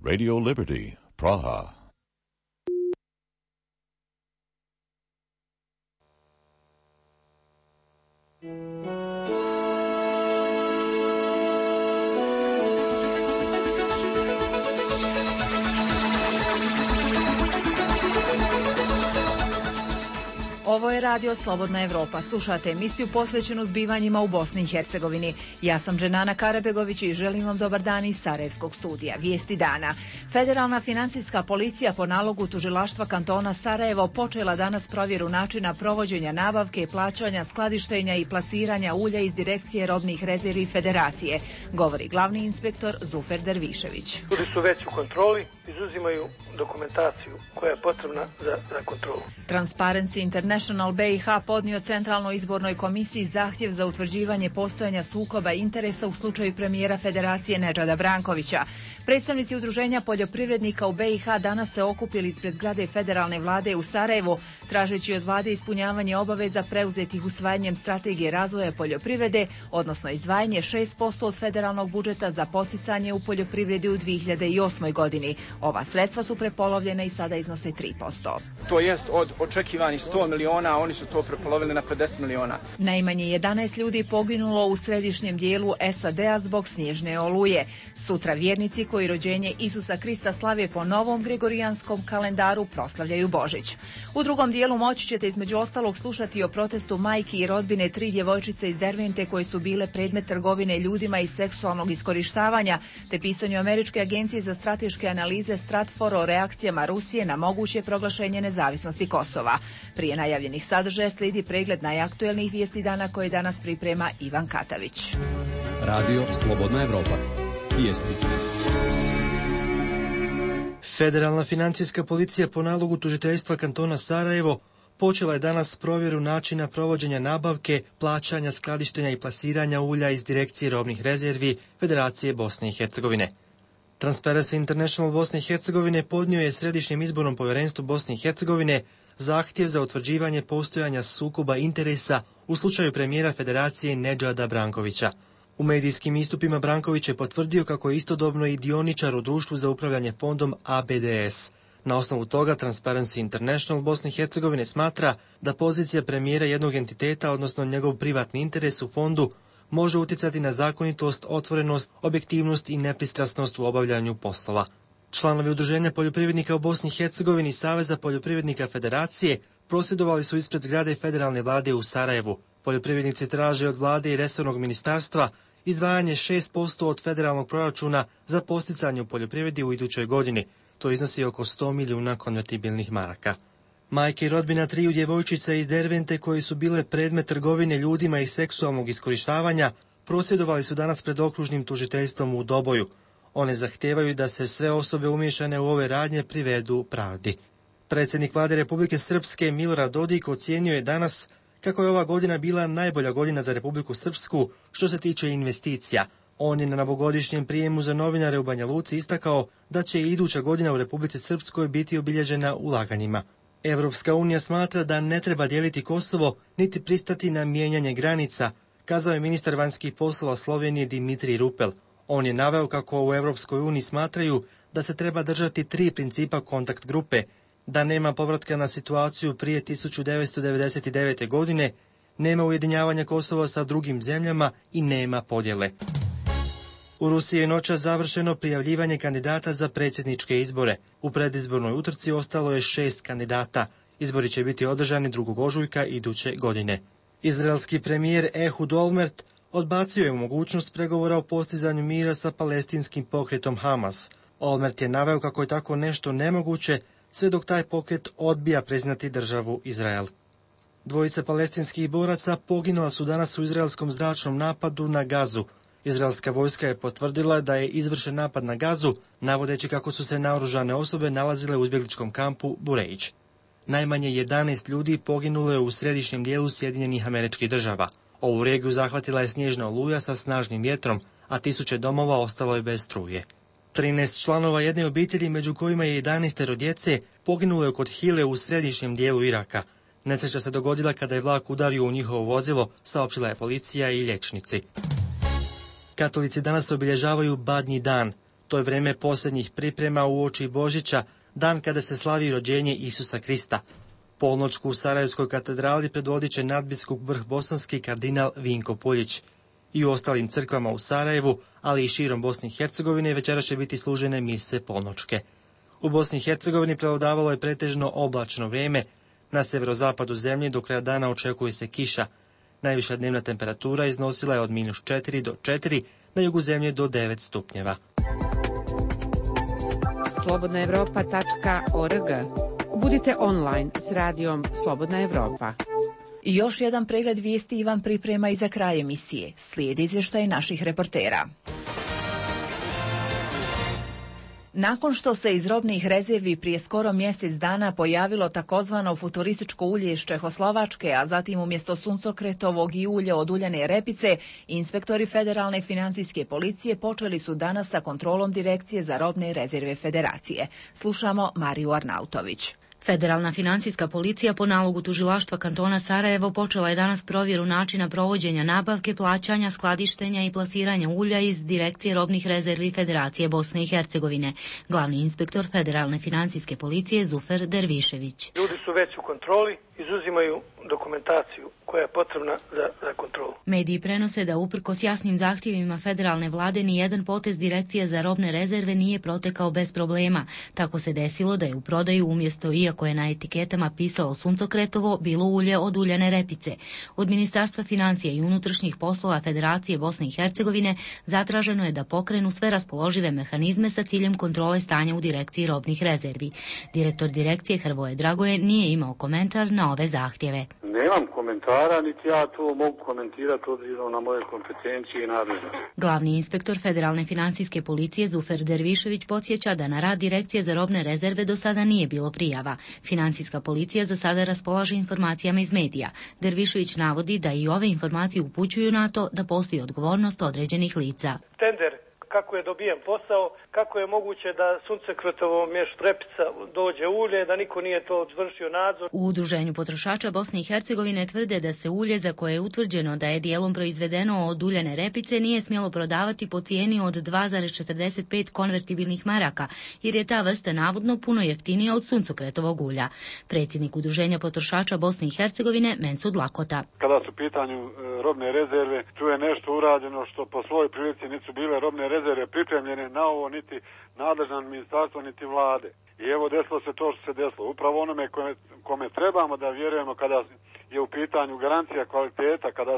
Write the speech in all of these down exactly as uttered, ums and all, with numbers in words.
Radio Liberty, Praha. Ovo je radio Slobodna Evropa. Slušate emisiju posvećenu zbivanjima u Bosni i Hercegovini. Ja sam Dženana Karabegović i želim vam dobar dan iz Sarajevskog studija. Vijesti dana. Federalna financijska policija po nalogu tužilaštva kantona Sarajevo počela danas provjeru načina provođenja nabavke i plaćanja, skladištenja i plasiranja ulja iz direkcije robnih rezervi Federacije, govori glavni inspektor Zufer Dervišević. Ljudi su već u kontroli, izuzimaju dokumentaciju koja je potrebna za, za kontrolu. Transparency International B i H podnio Centralnoj izbornoj komisiji zahtjev za utvrđivanje postojanja sukoba interesa u slučaju premijera Federacije Nedžada Brankovića. Predstavnici udruženja poljoprivrednika u B i H danas se okupili ispred zgrade federalne vlade u Sarajevu, tražeći od vlade ispunjavanje obaveza preuzetih usvajanjem strategije razvoja poljoprivrede, odnosno izdvajanje šest posto od federalnog budžeta za posticanje u poljoprivredi u dvije hiljade osmoj godini. Ova sredstva su prepolovljena i sada iznose tri posto. To jest od očekivanih sto miliona, oni su to prepolovili na pedeset miliona. Najmanje jedanaest ljudi poginulo u središnjem dijelu S A D-a zbog snježne oluje. Sutra vjernici koji rođenje Isusa Krista slave po novom gregorijanskom kalendaru proslavljaju Božić. U drugom dijelu moći ćete između ostalog slušati o protestu majki i rodbine tri djevojčice iz Dervente koje su bile predmet trgovine ljudima i seksualnog iskorištavanja, te pisanju Američke agencije za strateške analize Stratfor o reakcijama Rusije na moguće proglašenje nezavisnosti Kosova. Prije najavljenih sadržaja slijedi pregled najaktuelnijih vijesti dana koje danas priprema Ivan Katavić. Radio Slobodna Evropa. Vijesti. Federalna financijska policija po nalogu tužiteljstva kantona Sarajevo počela je danas provjeru načina provođenja nabavke, plaćanja, skladištenja i plasiranja ulja iz direkcije robnih rezervi Federacije Bosne i Hercegovine. Transparency International Bosne i Hercegovine podnio je Središnjem izbornom povjerenstvu Bosne i Hercegovine zahtjev za utvrđivanje postojanja sukoba interesa u slučaju premijera Federacije Nedžada Brankovića. U medijskim istupima Branković je potvrdio kako je istodobno i dioničar u društvu za upravljanje fondom A B D S. Na osnovu toga Transparency International Bosne i Hercegovine smatra da pozicija premijera jednog entiteta, odnosno njegov privatni interes u fondu, može utjecati na zakonitost, otvorenost, objektivnost i nepristrasnost u obavljanju poslova. Članovi Udruženja poljoprivrednika u Bosni i Hercegovini i Saveza poljoprivrednika Federacije prosvjedovali su ispred zgrade federalne vlade u Sarajevu. Poljoprivrednici traže od vlade i resornog ministarstva izdvajanje šest posto od federalnog proračuna za posticanje u poljoprivredi u idućoj godini. To iznosi oko sto milijuna konvertibilnih maraka. Majke i rodbina triju djevojčica iz Dervente koje su bile predmet trgovine ljudima i seksualnog iskorištavanja prosvjedovali su danas pred okružnim tužiteljstvom u Doboju. One zahtijevaju da se sve osobe umiješane u ove radnje privedu pravdi. Predsjednik vlade Republike Srpske Milorad Dodik ocijenio je danas kako je ova godina bila najbolja godina za Republiku Srpsku što se tiče investicija. On je na novogodišnjem prijemu za novinare u Banja Luci istakao da će i iduća godina u Republici Srpskoj biti obilježena ulaganjima. Evropska unija smatra da ne treba dijeliti Kosovo niti pristati na mijenjanje granica, kazao je ministar vanjskih poslova Slovenije Dimitrij Rupel. On je naveo kako u Evropskoj uniji smatraju da se treba držati tri principa kontakt grupe, da nema povratka na situaciju prije tisuću devetsto devedeset devete. godine, nema ujedinjavanja Kosova sa drugim zemljama i nema podjele. U Rusiji je noćas završeno prijavljivanje kandidata za predsjedničke izbore. U predizbornoj utrci ostalo je šest kandidata. Izbori će biti održani drugog ožujka iduće godine. Izraelski premijer Ehud Olmert odbacio je mogućnost pregovora o postizanju mira sa palestinskim pokretom Hamas. Olmert je naveo kako je tako nešto nemoguće sve dok taj pokret odbija priznati državu Izrael. Dvojica palestinskih boraca poginula su danas u izraelskom zračnom napadu na Gazu. Izraelska vojska je potvrdila da je izvršen napad na Gazu, navodeći kako su se naoružane osobe nalazile u izbjegličkom kampu Bureiđ. Najmanje jedanaest ljudi poginulo je u središnjem dijelu Sjedinjenih Američkih Država. Ovu regiju zahvatila je snježna oluja sa snažnim vjetrom, a tisuće domova ostalo je bez struje. trinaest članova jedne obitelji, među kojima je jedanaestero djece, poginulo je kod Hile u središnjem dijelu Iraka. Nesreća se dogodila kada je vlak udario u njihovo vozilo, saopćila je policija i liječnici. Katolici danas obilježavaju Badnji dan. To je vrijeme posljednjih priprema uoči Božića, dan kada se slavi rođenje Isusa Krista. Polnoćku u Sarajevskoj katedrali predvodit će nadbiskup vrhbosanski kardinal Vinko Puljić. I u ostalim crkvama u Sarajevu, ali i širom Bosne i Hercegovine, večeras će biti služene mise polnoćke. U Bosni i Hercegovini prevladavalo je pretežno oblačno vrijeme. Na severozapadu zemlje do kraja dana očekuje se kiša. Najviša dnevna temperatura iznosila je od minus četiri do četiri, na jugu zemlje do devet stupnjeva. slobodna evropa tačka org. Budite online s radijom Slobodna Evropa. I još jedan pregled vijesti Ivan priprema i za kraj emisije. Slijedi izvještaj naših reportera. Nakon što se iz robnih rezervi prije skoro mjesec dana pojavilo takozvano futurističko ulje iz Čehoslovačke, a zatim umjesto suncokretovog i ulja od uljane repice, inspektori Federalne financijske policije počeli su danas sa kontrolom Direkcije za robne rezerve Federacije. Slušamo Mariju Arnautović. Federalna financijska policija po nalogu tužilaštva kantona Sarajevo počela je danas provjeru načina provođenja nabavke, plaćanja, skladištenja i plasiranja ulja iz Direkcije robnih rezervi Federacije Bosne i Hercegovine. Glavni inspektor Federalne financijske policije Zufer Dervišević. Ljudi su već u kontroli, izuzimaju dokumentaciju koja je potrebna za, za kontrolu. Mediji prenose da uprkos jasnim zahtjevima federalne vlade ni jedan potez Direkcije za robne rezerve nije protekao bez problema. Tako se desilo da je u prodaju umjesto, iako je na etiketama pisalo suncokretovo, bilo ulje od uljane repice. Od Ministarstva financija i unutrašnjih poslova Federacije Bosne i Hercegovine zatraženo je da pokrenu sve raspoložive mehanizme sa ciljem kontrole stanja u Direkciji robnih rezervi. Direktor Direkcije Hrvoje Dragoje nije imao komentar na ove zahtjeve. Nemam komentara, niti ja to mogu komentirati obzirom na moje kompetencije i nadležnosti. Glavni inspektor Federalne financijske policije Zufer Dervišević podsjeća da na rad Direkcije za robne rezerve do sada nije bilo prijava. Financijska policija za sada raspolaže informacijama iz medija. Dervišević navodi da i ove informacije upućuju na to da postoji odgovornost određenih lica. Tender, kako je dobijen posao, kako je moguće da suncokretovo mješ repica dođe ulje, da niko nije to izvršio nadzor. U Udruženju potrošača Bosne i Hercegovine tvrde da se ulje za koje je utvrđeno da je dijelom proizvedeno od uljane repice nije smjelo prodavati po cijeni od dva zarez četrdeset pet konvertibilnih maraka, jer je ta vrsta navodno puno jeftinija od suncokretovog ulja. Predsjednik Udruženja potrošača Bosne i Hercegovine Mensud Lakota. Kada su u pitanju robne rezerve, tu je nešto urađeno što po svojoj prilici nisu bile robne rezerve pripremljene na ovo niti nadležno ministarstvo niti vlade. I evo desilo se to što se desilo. Upravo onome kome, kome trebamo da vjerujemo kada je u pitanju garancija kvaliteta, kada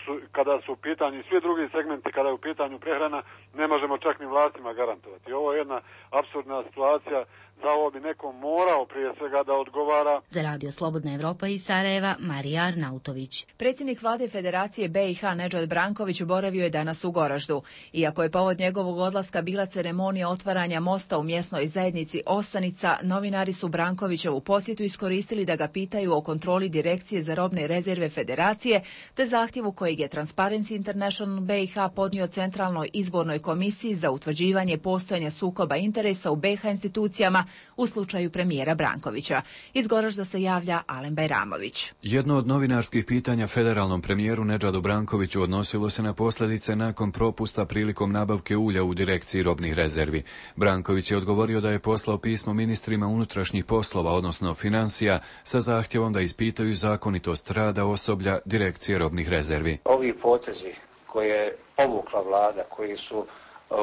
su, kada su u pitanju svi drugi segmenti, kada je u pitanju prehrana, ne možemo čak ni vlastima garantovati. Ovo je jedna apsurdna situacija. Za ovo bi neko morao prije svega da odgovara. Za Radio Slobodna Evropa iz Sarajeva, Marija Arnautović. Predsjednik vlade Federacije B i H Nedžad Branković boravio je danas u Goraždu. Iako je povod njegovog odlaska bila ceremonija otvaranja mosta u mjesnoj zajednici Osanica, novinari su Brankovićevu posjetu iskoristili da ga pitaju o kontroli Direkcije za robne rezerve Federacije, te zahtjevu kojeg je Transparency International B i H podnio Centralnoj izbornoj komisiji za utvrđivanje postojanja sukoba interesa u B i H institucijama u slučaju premijera Brankovića. Iz Goražda se javlja Alen Bajramović. Jedno od novinarskih pitanja federalnom premijeru Nedžadu Brankoviću odnosilo se na posljedice nakon propusta prilikom nabavke ulja u Direkciji robnih rezervi. Branković je odgovorio da je poslao pismo ministrima unutrašnjih poslova, odnosno financija, sa zahtjevom da ispitaju zakonitost rada osoblja Direkcije robnih rezervi. Ovi potezi koje je povukla vlada, koji su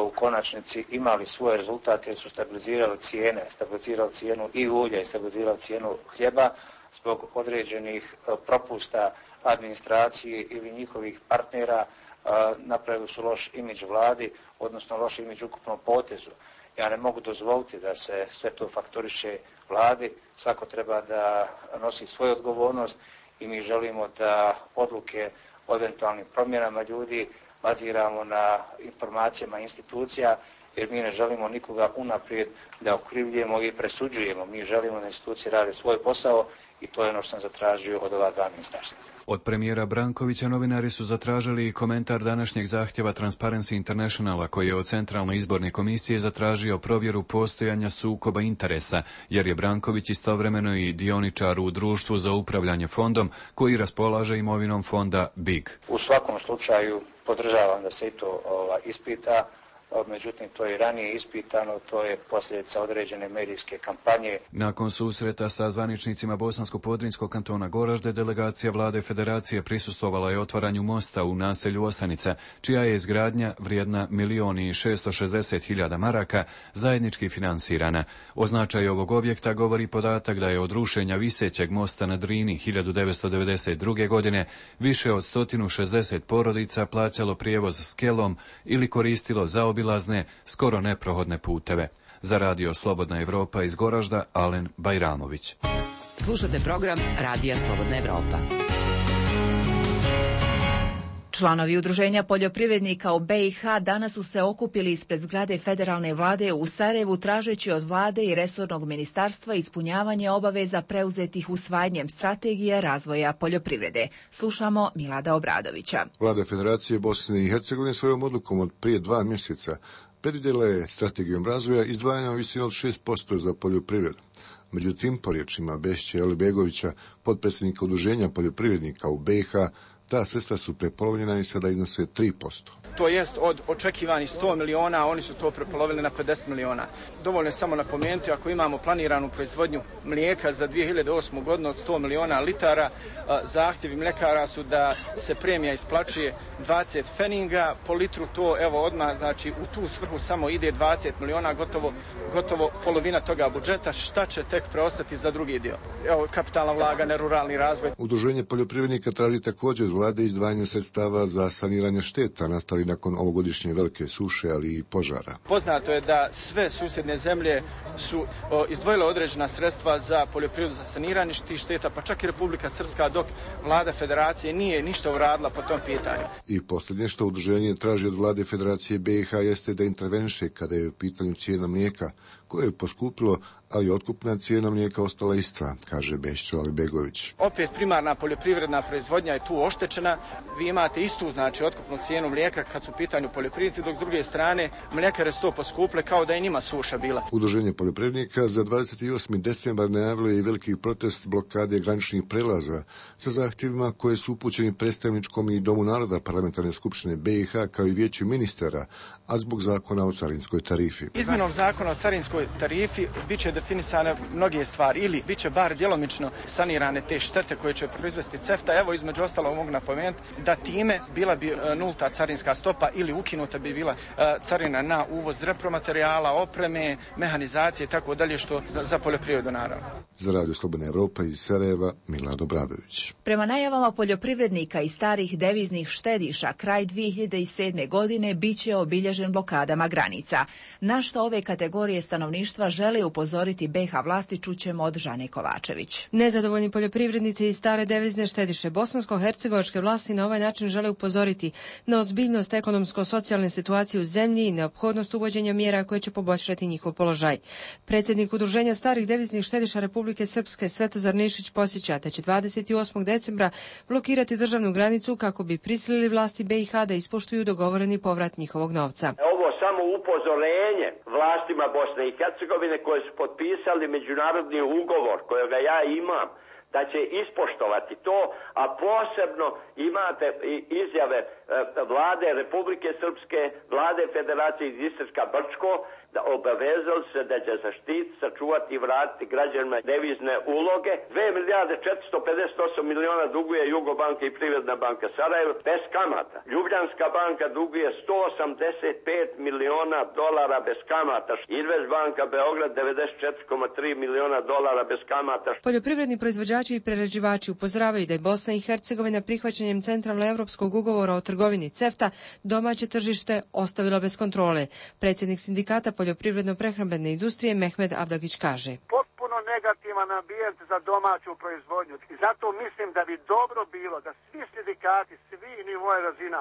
u konačnici imali svoj rezultat jer su stabilizirali cijene, stabilizirali cijenu i ulja i stabilizirali cijenu hljeba zbog određenih propusta administracije ili njihovih partnera, napravili su loš imidž vladi, odnosno loš imidž ukupnom potezu. Ja ne mogu dozvoliti da se sve to faktoriše vladi, svako treba da nosi svoju odgovornost i mi želimo da odluke o eventualnim promjenama ljudi baziramo na informacijama institucija, jer mi ne želimo nikoga unaprijed da okrivljujemo i presuđujemo. Mi želimo da institucije rade svoj posao i to je ono što sam zatražio od ova dva ministarstva. Od premijera Brankovića novinari su zatražili komentar današnjeg zahtjeva Transparency Internationala, koji je od Centralne izborne komisije zatražio provjeru postojanja sukoba interesa, jer je Branković istovremeno i dioničar u društvu za upravljanje fondom koji raspolaže imovinom fonda B I G. U svakom slučaju podržavam da se i to ova, ispita. međutim to je i ranije ispitano, to je posljedica određene medijske kampanje. Nakon susreta sa zvaničnicima Bosansko-Podrinjskog kantona Goražde, delegacija vlade federacije prisustvovala je otvaranju mosta u naselju Osanica, čija je izgradnja vrijedna milion i šesto šezdeset hiljada maraka zajednički finansirana. O značaju ovog objekta govori podatak da je od rušenja visećeg mosta na Drini hiljadu devetsto devedeset druge. godine više od sto šezdeset porodica plaćalo prijevoz skelom ili koristilo zaobilazne, skoro neprohodne puteve. Za radio Slobodna Evropa iz Goražda, Alen Bajramović. Slušate program Radija Slobodna Evropa. Članovi Udruženja poljoprivrednika u B i H danas su se okupili ispred zgrade federalne vlade u Sarajevu tražeći od vlade i resornog ministarstva ispunjavanje obaveza preuzetih usvajanjem strategije razvoja poljoprivrede. Slušamo Milada Obradovića. Vlada Federacije Bosne i Hercegovine svojom odlukom od prije dva mjeseca predvidjela je strategijom razvoja izdvajanja u visini od šest posto za poljoprivredu. Međutim, po riječima Bešće Alibegovića, potpredsjednika Udruženja poljoprivrednika u B i H, ta sredstva su prepolovljena i sada iznose tri posto. To jest od očekivanih sto miliona, oni su to prepolovili na pedeset miliona. Dovoljno je samo napomenuti, ako imamo planiranu proizvodnju mlijeka za dvije hiljade osmu. godinu od sto miliona litara, zahtjevi mljekara su da se premija isplaćuje dvadeset feninga po litru, to evo odmah, znači u tu svrhu samo ide dvadeset miliona, gotovo, gotovo polovina toga budžeta, šta će tek preostati za drugi dio? Evo, kapitalna ulaganja, ruralni razvoj. Udruženje poljoprivrednika traži također od vlade izdvajanje sredstava za saniranje šteta nastali nakon ovogodišnje velike suše, ali i požara. Poznato je da sve susjedne zemlje su o, izdvojile određena sredstva za poljoprivredu, za saniranje tih šteta, pa čak i Republika Srpska, dok vlada federacije nije ništa uradila po tom pitanju. I posljednje što udruženje traži od vlade Federacije B i H jeste da interveniše kada je u pitanju cijena mlijeka, koje je poskupilo, ali otkupna cijena mlijeka ostala ista, kaže Bešćo Alibegović. Opet primarna poljoprivredna proizvodnja je tu oštećena. Vi imate istu, znači, otkupnu cijenu mlijeka kad su u pitanju poljoprivrednici, dok s druge strane mljekare su to poskupile kao da je njima suša bila. Udruženje poljoprivrednika za dvadeset osmi decembar najavilo je i veliki protest blokade graničnih prelaza sa zahtjevima koje su upućeni predstavničkom i Domu naroda Parlamentarne skupštine B i H kao i vijeću ministara, a zbog zakona o carinskoj tarifi. Izmjenom zakona o carinskoj tarifi biće definisane mnoge stvari ili biće bar djelomično sanirane te štete koje će proizvesti CEFTA. Evo, između ostalog mogu napomenuti da time bila bi nulta carinska stopa ili ukinuta bi bila carina na uvoz repromaterijala, opreme, mehanizacije i tako dalje, što za, za poljoprivredu naravno. Za Radio Slobodna Evropa iz Sarajeva, Milad Obradović. Prema najavama poljoprivrednika i starih deviznih štediša, kraj dvije hiljade sedme. godine biće obilježen blokadama granica. Na što ove kategorije stanovništva žele upozoriti B i H vlasti, čućemo od Žane Kovačević. Nezadovoljni poljoprivrednici i stare devizne štediše bosansko-hercegovačke vlasti na ovaj način žele upozoriti na ozbiljnost ekonomsko-socijalne situacije u zemlji i neophodnost uvođenja mjera koje će poboljšati njihov položaj. Predsjednik Udruženja starih deviznih štediša Republike Srpske Svetozar Nišić posjeća da će dvadeset osmog decembra blokirati državnu granicu kako bi prisilili vlasti B i H da ispoštuju dogovoreni povrat njihovog novca. Ovo samo upozorenje vlastima Bosne i Hercegovine koje su potpisali međunarodni ugovor kojega ja imam, da će ispoštovati to, a posebno imate izjave vlade Republike Srpske, vlade Federacije iz Istarska Brčko, da obavezali se da će zaštiti, sačuvati i vratiti građanima devizne uloge. dve milijarde četiristo pedeset osam miliona duguje Jugobanka i Privredna banka Sarajevo bez kamata. Ljubljanska banka duguje sto osamdeset pet miliona dolara bez kamata. Investbanka Beograd devedeset četiri zarez tri miliona dolara bez kamata. Poljoprivredni proizvođači i prerađivači upozoravaju da je Bosna i Hercegovina prihvaćanjem centralno-evropskog ugovora o trgovini CEFTA domaće tržište ostavila bez kontrole. Predsjednik sindikata poljoprivredno-prehrambene industrije Mehmed Avdagić kaže: potpuno negativan ambijent za domaću proizvodnju. I zato mislim da bi dobro bilo da svi sindikati, svi nivoje razina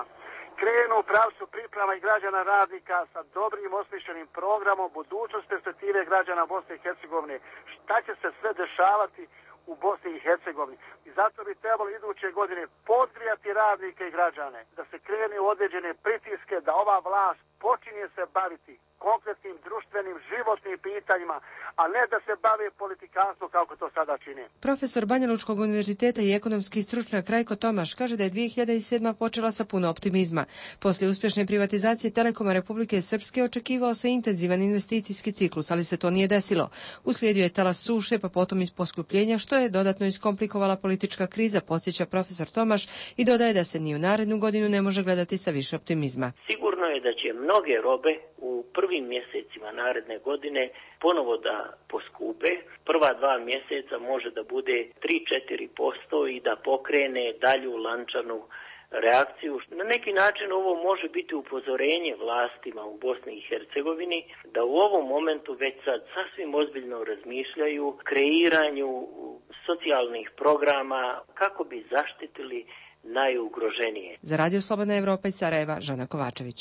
krenu u pravcu priprema i građana radnika sa dobrim osmišljenim programom budućnost perspektive građana Bosne i Hercegovine. Šta će se sve dešavati u Bosni i Hercegovini. I zato bi trebalo iduće godine podgrijati radnike i građane, da se krene u određene pritiske, da ova vlast počinje se baviti konkretnim društvenim, životnim pitanjima, a ne da se bave politikanstvom kako to sada čini. Profesor Banjalučkog univerziteta i ekonomski stručnjak Rajko Tomaš kaže da je dvije hiljade sedma. počela sa puno optimizma. Poslije uspješne privatizacije Telekoma Republike Srpske očekivao se intenzivan investicijski ciklus, ali se to nije desilo. Uslijedio je talas suše, pa potom iz poskupljenja, što je dodatno iskomplikovala politička kriza, podsjeća profesor Tomaš i dodaje da se ni u narednu godinu ne može gledati sa više optimizma. Sigurno je da će mnoge robe u prvim mjesecima naredne godine ponovo da poskupe. Prva dva mjeseca može da bude tri do četiri posto i da pokrene dalju lančanu reakciju. Na neki način ovo može biti upozorenje vlastima u Bosni i Hercegovini da u ovom momentu već sad sasvim ozbiljno razmišljaju kreiranju socijalnih programa kako bi zaštitili najugroženije. Za Radio Slobodna Evropa iz Sarajeva, Žana Kovačević.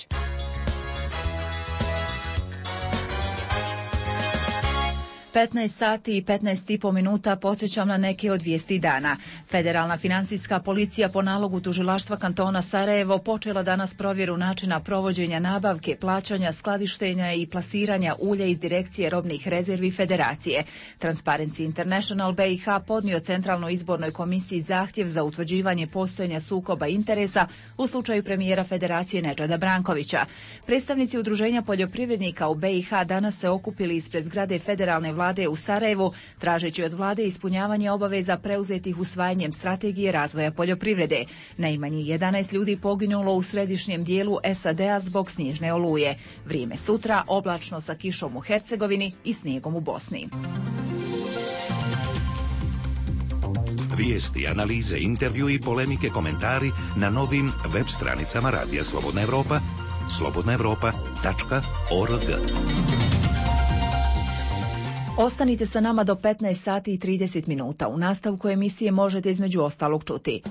petnaest sati i petnaest i po minuta podsjećam na neke od vijesti dana. Federalna financijska policija po nalogu tužilaštva kantona Sarajevo počela danas provjeru načina provođenja nabavke, plaćanja, skladištenja i plasiranja ulja iz direkcije robnih rezervi Federacije. Transparency International B i H podnio Centralnoj izbornoj komisiji zahtjev za utvrđivanje postojanja sukoba interesa u slučaju premijera Federacije Nedžada Brankovića. Predstavnici udruženja poljoprivrednika u B i H danas se okupili ispred zgrade federalne vlade u Sarajevu, tražeći od vlade ispunjavanje obaveza preuzetih usvajanjem strategije razvoja poljoprivrede. Najmanje jedanaest ljudi poginulo u središnjem dijelu S A D-a zbog snježne oluje. Vrijeme sutra oblačno sa kišom u Hercegovini i snijegom u Bosni. Vijesti, analize, intervju i polemike, komentari na novim web stranicama Radija Slobodna Evropa, slobodna evropa tačka org. Ostanite sa nama do petnaest sati i trideset minuta. U nastavku emisije možete između ostalog čuti.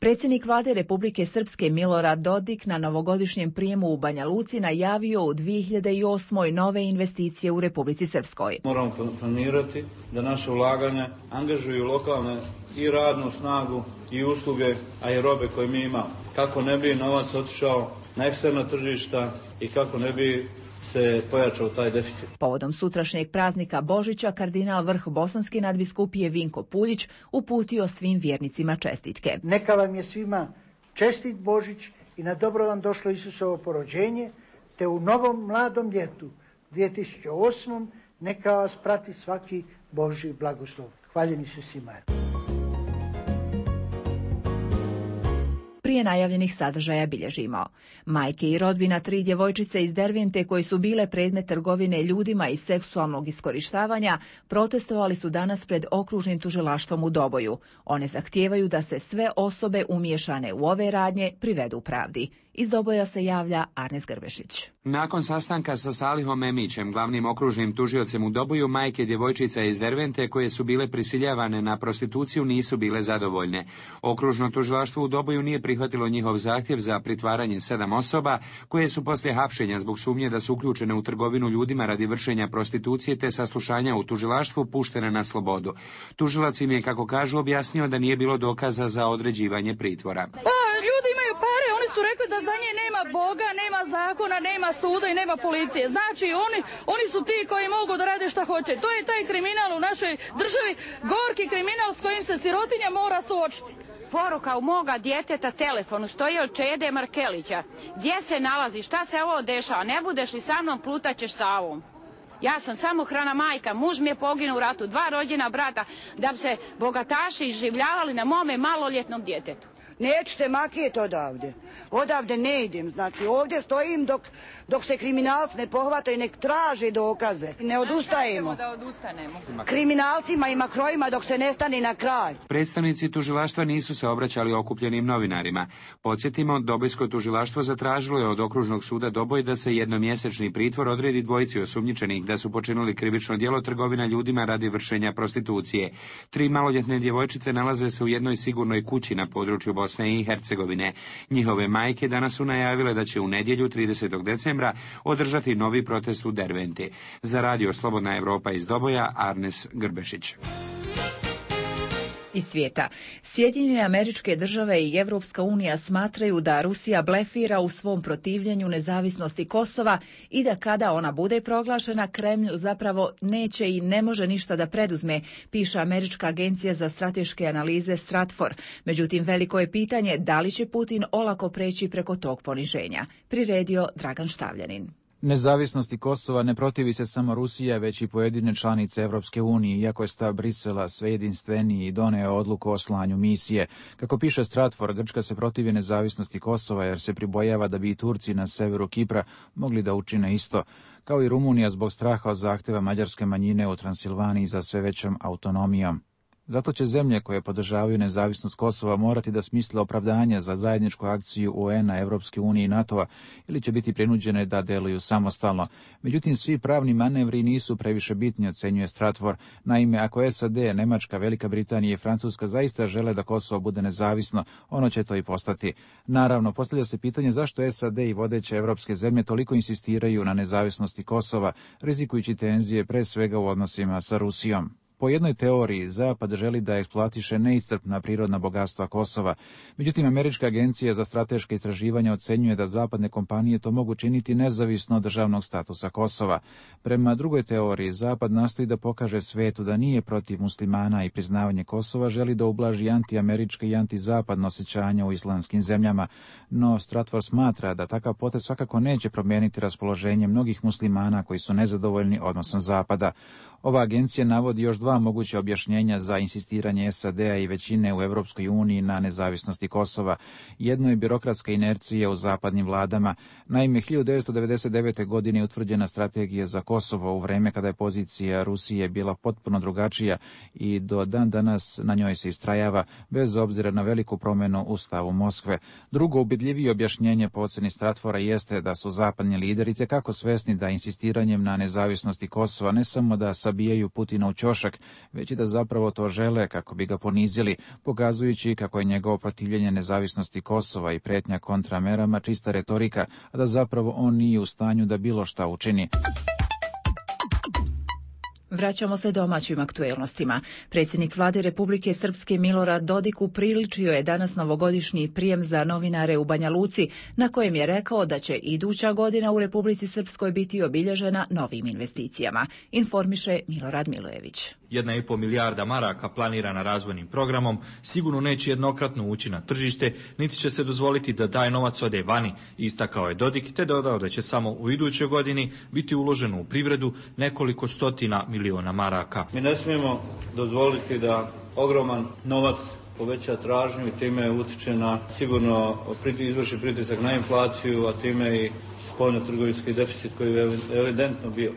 Predsjednik vlade Republike Srpske Milorad Dodik na novogodišnjem prijemu u Banja Luci najavio u dvije hiljade osmoj. nove investicije u Republici Srpskoj. Moramo planirati da naše ulaganja angažuju lokalne i radnu snagu i usluge, a i robe koje mi imamo. Kako ne bi novac otišao na eksterna tržišta i kako ne bi se pojačao taj deficit. Povodom sutrašnjeg praznika Božića, kardinal vrh bosanske nadbiskupije Vinko Puljić uputio svim vjernicima čestitke. Neka vam je svima čestit Božić i na dobro vam došlo Isusovo porođenje, te u novom mladom ljetu dvije tisuće osmom. neka vas prati svaki Božji blagoslov. Hvaljeni su svima. Prije najavljenih sadržaja bilježimo. Majke i rodbina tri djevojčice iz Dervente koje su bile predmet trgovine ljudima i seksualnog iskorištavanja protestovali su danas pred okružnim tužilaštvom u Doboju. One zahtijevaju da se sve osobe umiješane u ove radnje privedu pravdi. Iz Doboja se javlja Arnes Grbešić. Nakon sastanka sa Salihom Emićem, glavnim okružnim tužiocem u Doboju, majke djevojčica iz Dervente koje su bile prisiljavane na prostituciju nisu bile zadovoljne. Okružno tužilaštvo u Doboju nije prihvatilo njihov zahtjev za pritvaranje sedam osoba koje su poslije hapšenja zbog sumnje da su uključene u trgovinu ljudima radi vršenja prostitucije te saslušanja u tužilaštvu puštene na slobodu. Tužilac im je, kako kažu, objasnio da nije bilo dokaza za određivanje pritvora. Pa, ljudi imaju pare, oni su rekli da za nje nema Boga, nema zakona, nema suda i nema policije. Znači, oni, oni su ti koji mogu da rade šta hoće. To je taj kriminal u našoj državi, gorki kriminal s kojim se sirotinja mora suočiti. Poruka u moga djeteta telefonu stoji od Čede Markelića. Gdje se nalazi, šta se ovo dešava, ne budeš li sa mnom, plutaćeš sa ovom. Ja sam samohrana majka, muž mi je poginuo u ratu, dva rođena brata, da bi se bogataši izživljavali na mome maloljetnom djetetu. Neću se makijeti odavde. Odavde ne idem. Znači ovdje stojim dok, dok se kriminalci ne pohvataju, nek traže dokaze. Ne odustajemo. Da odustanemo. Kriminalcima i makrojima dok se ne stane na kraj. Predstavnici tužilaštva nisu se obraćali okupljenim novinarima. Podsjetimo, Dobojsko tužilaštvo zatražilo je od okružnog suda Doboj da se jednomjesečni pritvor odredi dvojici osumnjičenih da su počinili krivično djelo trgovina ljudima radi vršenja prostitucije. Tri maloljetne djevojčice nalaze se u jednoj sigurnoj kući na području Bosne i Hercegovine. Njihove majke danas su najavile da će u nedjelju tridesetog decembra održati novi protest u Derventi. Za Radio Slobodna Evropa iz Doboja, Arnes Grbešić. Iz svijeta. Sjedinjene Američke Države i Evropska unija smatraju da Rusija blefira u svom protivljenju nezavisnosti Kosova i da kada ona bude proglašena, Kremlj zapravo neće i ne može ništa da preduzme, piše Američka agencija za strateške analize Stratfor. Međutim, veliko je pitanje da li će Putin olako preći preko tog poniženja. Priredio Dragan Štavljanin. Nezavisnosti Kosova ne protivi se samo Rusija, već i pojedine članice Evropske unije, iako je stav Brisela sve jedinstveniji i doneo odluku o slanju misije. Kako piše Stratfor, Grčka se protivi nezavisnosti Kosova jer se pribojava da bi i Turci na severu Kipra mogli da učine isto, kao i Rumunija zbog straha od zahteva mađarske manjine u Transilvaniji za sve većom autonomijom. Zato će zemlje koje podržavaju nezavisnost Kosova morati da smisle opravdanje za zajedničku akciju U N-a, Evropske unije i NATO-a ili će biti prinuđene da deluju samostalno. Međutim, svi pravni manevri nisu previše bitni, ocenjuje Stratfor. Naime, ako S A D, Nemačka, Velika Britanija i Francuska zaista žele da Kosovo bude nezavisno, ono će to i postati. Naravno, postavlja se pitanje zašto S A D i vodeće evropske zemlje toliko insistiraju na nezavisnosti Kosova, rizikujući tenzije pre svega u odnosima sa Rusijom. Po jednoj teoriji, Zapad želi da eksploatiše neiscrpna prirodna bogatstva Kosova. Međutim, Američka agencija za strateške istraživanja ocenjuje da zapadne kompanije to mogu činiti nezavisno od državnog statusa Kosova. Prema drugoj teoriji, Zapad nastoji da pokaže svetu da nije protiv muslimana i priznavanje Kosova, želi da ublaži antiamerička i antizapadno osjećanja u islamskim zemljama. No, Stratfor smatra da takav potez svakako neće promijeniti raspoloženje mnogih muslimana koji su nezadovoljni odnosom Zapada. Ova agencija navodi još dva moguće objašnjenja za insistiranje S A D-a i većine u Evropskoj uniji na nezavisnosti Kosova. Jedno je birokratska inercija u zapadnim vladama. Naime, hiljadu devetsto devedeset devete. godine je utvrđena strategija za Kosovo u vreme kada je pozicija Rusije bila potpuno drugačija i do dan danas na njoj se istrajava, bez obzira na veliku promjenu u stavu Moskve. Drugo ubedljivije objašnjenje po oceni Stratfora jeste da su zapadni lideri tekako svesni da insistiranjem na nezavisnosti Kosova ne samo da sabijaju Putina u ćošak, već i da zapravo to žele kako bi ga ponizili, pokazujući kako je njegovo protivljenje nezavisnosti Kosova i pretnja kontramerama čista retorika, a da zapravo on nije u stanju da bilo šta učini. Vraćamo se domaćim aktuelnostima. Predsjednik vlade Republike Srpske Milorad Dodik upriličio je danas novogodišnji prijem za novinare u Banja Luci, na kojem je rekao da će iduća godina u Republici Srpskoj biti obilježena novim investicijama, informiše Milorad Milojević. Jedna i pol milijarda maraka planirana razvojnim programom sigurno neće jednokratno ući na tržište, niti će se dozvoliti da taj novac ode vani, istakao je Dodik, te dodao da će samo u idućoj godini biti uloženo u privredu nekoliko stotina miliona maraka. Mi ne smijemo dozvoliti da ogroman novac poveća tražnju i time utiče na sigurno izvrši pritisak na inflaciju, a time i spoljno-trgovinski deficit koji je evidentno bio.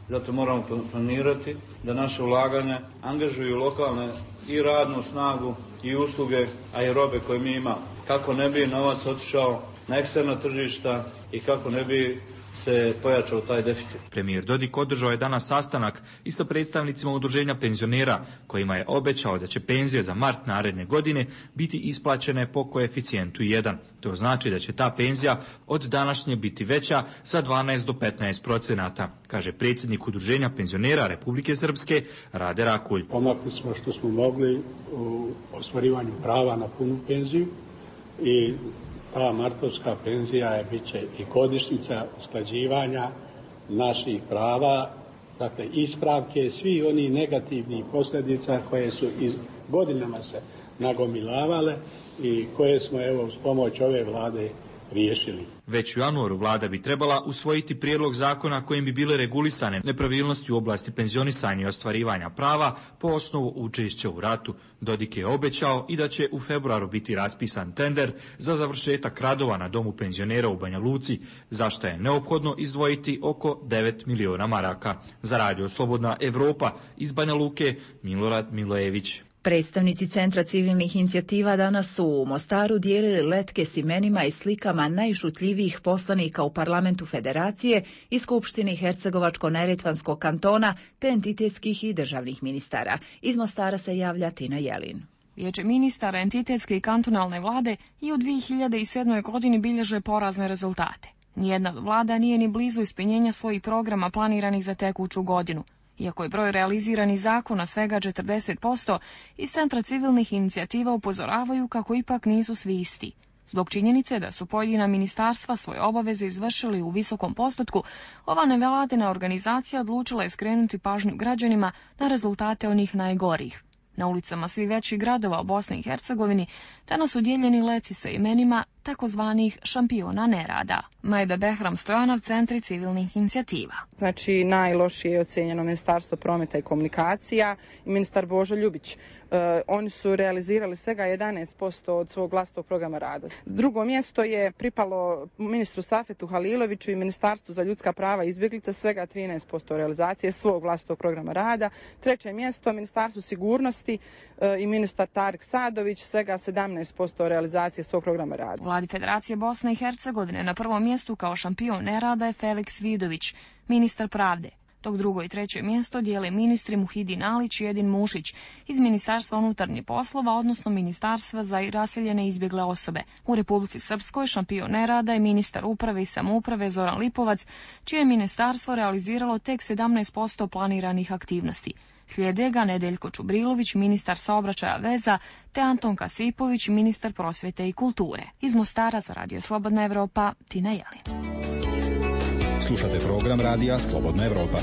Zato moramo planirati da naše ulaganja angažuju lokalne i radnu snagu i usluge, a i robe koje mi imamo. Kako ne bi novac otišao na eksterna tržišta i kako ne bi se pojačao taj deficit. Premijer Dodik održao je danas sastanak i sa predstavnicima udruženja penzionera, kojima je obećao da će penzije za mart naredne godine biti isplaćene po koeficijentu jedan. To znači da će ta penzija od današnje biti veća za dvanaest do petnaest procenata, kaže predsjednik udruženja penzionera Republike Srpske Rade Rakulj. Pomakli smo što smo mogli u ostvarivanju prava na punu penziju i ta martovska penzija je bit će i godišnjica usklađivanja naših prava, dakle ispravke svi oni negativnih posljedica koje su iz godinama se nagomilavale i koje smo evo uz pomoć ove vlade riješili. Već u januaru vlada bi trebala usvojiti prijedlog zakona kojim bi bile regulisane nepravilnosti u oblasti penzionisanja i ostvarivanja prava po osnovu učešća u ratu. Dodik je obećao i da će u februaru biti raspisan tender za završetak radova na domu penzionera u Banja Luci, za što je neophodno izdvojiti oko devet miliona maraka. Za Radio Slobodna Evropa iz Banja Luke, Milorad Milojević. Predstavnici Centra civilnih inicijativa danas su u Mostaru dijelili letke s imenima i slikama najšutljivijih poslanika u Parlamentu Federacije i Skupštini Hercegovačko-Neretvanskog kantona te entitetskih i državnih ministara. Iz Mostara se javlja Tina Jelin. Vijeće ministara entitetske i kantonalne vlade i u dvije hiljade sedmoj. godini bilježe porazne rezultate. Nijedna vlada nije ni blizu ispunjenja svojih programa planiranih za tekuću godinu. Iako je broj realiziranih zakona svega četrdeset posto, iz Centra civilnih inicijativa upozoravaju kako ipak nisu svi isti. Zbog činjenice da su pojedina ministarstva svoje obaveze izvršili u visokom postotku, ova nevladina organizacija odlučila je skrenuti pažnju građanima na rezultate onih najgorih. Na ulicama svih većih gradova u Bosni i Hercegovini danas su dijeljeni leci sa imenima takozvanih šampiona nerada. Majda Behram Stojanov, Centri civilnih inicijativa. Znači, najlošije je ocjenjeno Ministarstvo prometa i komunikacija i ministar Božo Ljubić. E, oni su realizirali svega jedanaest posto od svog vlastitog programa rada. Drugo mjesto je pripalo ministru Safetu Haliloviću i Ministarstvu za ljudska prava i izbjeglica, svega trinaest posto realizacije svog vlastitog programa rada. Treće mjesto Ministarstvu sigurnosti e, i ministar Tarik Sadović, svega sedamnaest posto realizacije svog programa rada. U vladi Federacije Bosne i Hercegovine na prvom mjestu kao šampion nerada je Feliks Vidović, ministar pravde. Dok drugo i treće mjesto dijele ministri Muhidin Alić i Edin Mušić iz Ministarstva unutarnjih poslova, odnosno Ministarstva za raseljene i izbjegle osobe. U Republici Srpskoj šampion nerada je ministar uprave i samouprave Zoran Lipovac, čije je ministarstvo realiziralo tek sedamnaest posto planiranih aktivnosti. Slijede ga Nedeljko Čubrilović, ministar saobraćaja veza, te Anton Kasipović, ministar prosvjete i kulture. Iz Mostara za Radio Slobodna Evropa, Tina Jelin. Slušate program Radija Slobodna Evropa.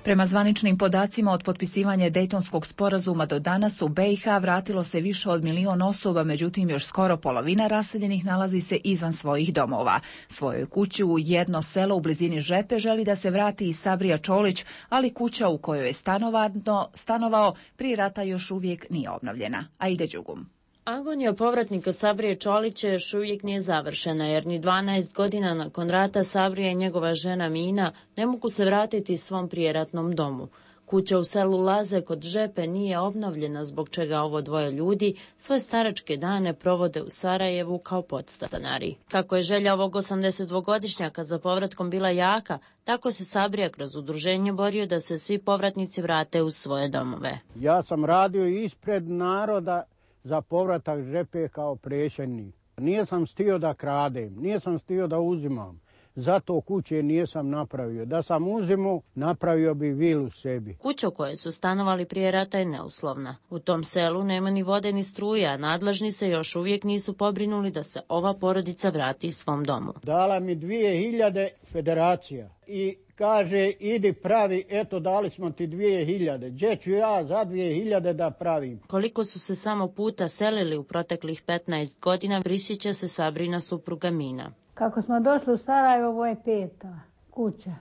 Prema zvaničnim podacima od potpisivanja Dejtonskog sporazuma do danas u be i ha vratilo se više od milion osoba, međutim još skoro polovina raseljenih nalazi se izvan svojih domova. Svojoj kući u jedno selo u blizini Žepe želi da se vrati i Sabrija Čolić, ali kuća u kojoj je stanovano, stanovao prije rata još uvijek nije obnovljena. Aida Đugum. Agonija povratnika Sabrije Čolića još uvijek nije završena, jer ni dvanaest godina nakon rata Sabrija i njegova žena Mina ne mogu se vratiti svom prijeratnom domu. Kuća u selu Laze kod Žepe nije obnovljena, zbog čega ovo dvoje ljudi svoje staračke dane provode u Sarajevu kao podstanari. Kako je želja ovog osamdesetdvogodišnjaka za povratkom bila jaka, tako se Sabrija kroz udruženje borio da se svi povratnici vrate u svoje domove. Ja sam radio ispred naroda za povratak Žepe kao predsjednik. Nisam stio da kradem, nisam stio da uzimam. Zato kuće nisam napravio. Da sam uzimao, napravio bi vilu sebi. Kuća u kojoj su stanovali prije rata je neuslovna. U tom selu nema ni vode ni struje, a nadležni se još uvijek nisu pobrinuli da se ova porodica vrati svom domu. Dala mi dvije hiljade federacija i kaže idi pravi, eto dali smo ti dvije hiljade. Gdje ću ja za dvije hiljade da pravim? Koliko su se samo puta selili u proteklih petnaest godina, prisjeća se Sabrina supruga Mina. Kako smo došli u Sarajevo, ovo je peta kuća.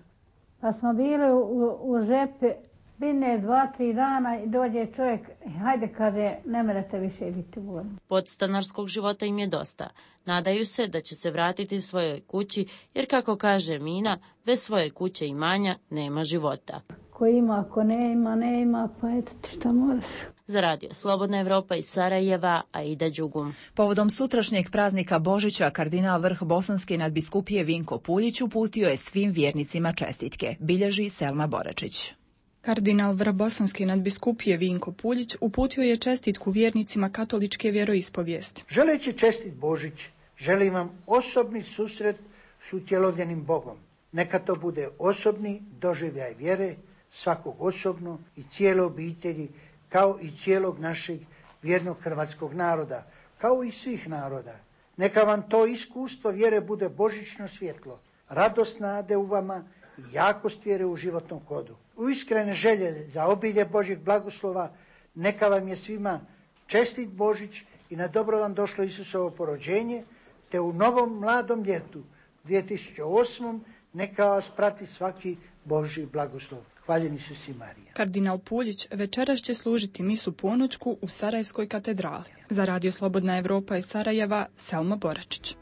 Pa smo bili u, u, u Žepe, bine dva, tri dana i dođe čovjek, hajde kaže, ne merete više biti voljni. Podstanarskog života im je dosta. Nadaju se da će se vratiti svojoj kući, jer kako kaže Mina, bez svoje kuće i imanja nema života. Ko ima, ko ne ima, ne ima, pa eto ti šta moraš. Za Radio Slobodna Evropa iz Sarajeva, Aida Đugum. Povodom sutrašnjeg praznika Božića, kardinal vrh Bosanske nadbiskupije Vinko Puljić uputio je svim vjernicima čestitke, bilježi Selma Boračić. Kardinal vrh Bosanske nadbiskupije Vinko Puljić uputio je čestitku vjernicima katoličke vjeroispovijesti. Želeći čestit Božić, želim vam osobni susret s utjelovljenim Bogom. Neka to bude osobni doživljaj vjere, svakog osobno i cijele obitelji, kao i cijelog našeg vjernog hrvatskog naroda, kao i svih naroda. Neka vam to iskustvo vjere bude božićno svjetlo, radost nade u vama i jakost vjere u životnom hodu. U iskrene želje za obilje Božjeg blagoslova, neka vam je svima čestit Božić i na dobro vam došlo Isusovo porođenje, te u novom mladom ljetu dvije tisuće osmom neka vas prati svaki Božji blagoslov. Hvaljeni su si Marija. Kardinal Puljić večeras će služiti misu ponoćku u Sarajevskoj katedrali. Za Radio Slobodna Evropa iz Sarajeva, Selma Boračić.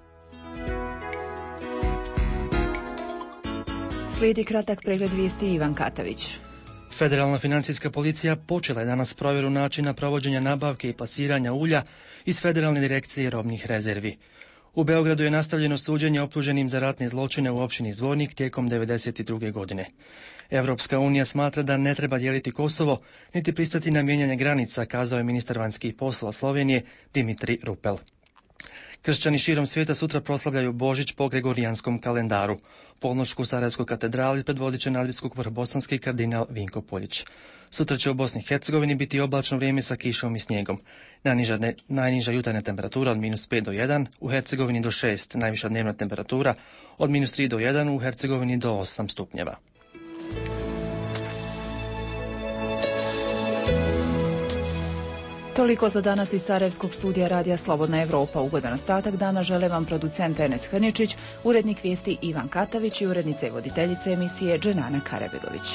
Slijedi kratak pregled vijesti Ivan Katavić. Federalna financijska policija počela je danas provjeru načina provođenja nabavke i plasiranja ulja iz Federalne direkcije robnih rezervi. U Beogradu je nastavljeno suđenje optuženim za ratne zločine u općini Zvornik tijekom devedeset druge godine. Europska unija smatra da ne treba dijeliti Kosovo, niti pristati na mijenjanje granica, kazao je ministar vanjskih poslova Slovenije Dimitri Rupel. Kršćani širom svijeta sutra proslavljaju Božić po gregorijanskom kalendaru. Polnoćku u Sarajevskoj katedrali predvodit će nadbiskup vrhbosanski kardinal Vinko Poljić. Sutra će u Bosni i Hercegovini biti oblačno vrijeme sa kišom i snijegom. Najniža, ne, najniža jutarnja temperatura od minus pet do jedan, u Hercegovini do šest, najviša dnevna temperatura od minus tri do jedan, u Hercegovini do osam stupnjeva. Toliko za danas iz Sarajevskog studija Radija Slobodna Evropa. Ugodan ostatak dana žele vam producent Enes Hrničić, urednik vijesti Ivan Katavić i urednica i voditeljica emisije Dženana Karabegović.